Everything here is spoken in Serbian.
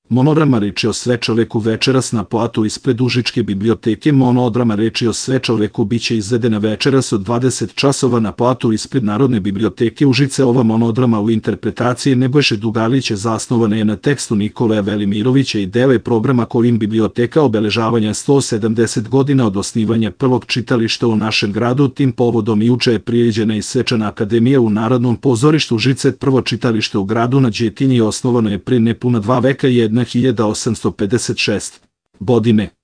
Monodrama reči o svečoveku večeras na platu ispred Užičke biblioteke. Monodrama reči o svečoveku biće izvedena večeras od 20 časova na platu ispred Narodne biblioteke Užice. Ova monodrama u interpretaciji Nebojše Dugalića zasnovana je na tekstu Nikole Velimirovića i deo je programa kojim biblioteka obeležavanja 170 godina od osnivanja prvog čitališta u našem gradu. Tim povodom juče je priređena i svečana akademija u Narodnom pozorištu Užice. Prvo čitalište u gradu na Đetinji osnovano je prije nepuna 2 veka 1856. godine.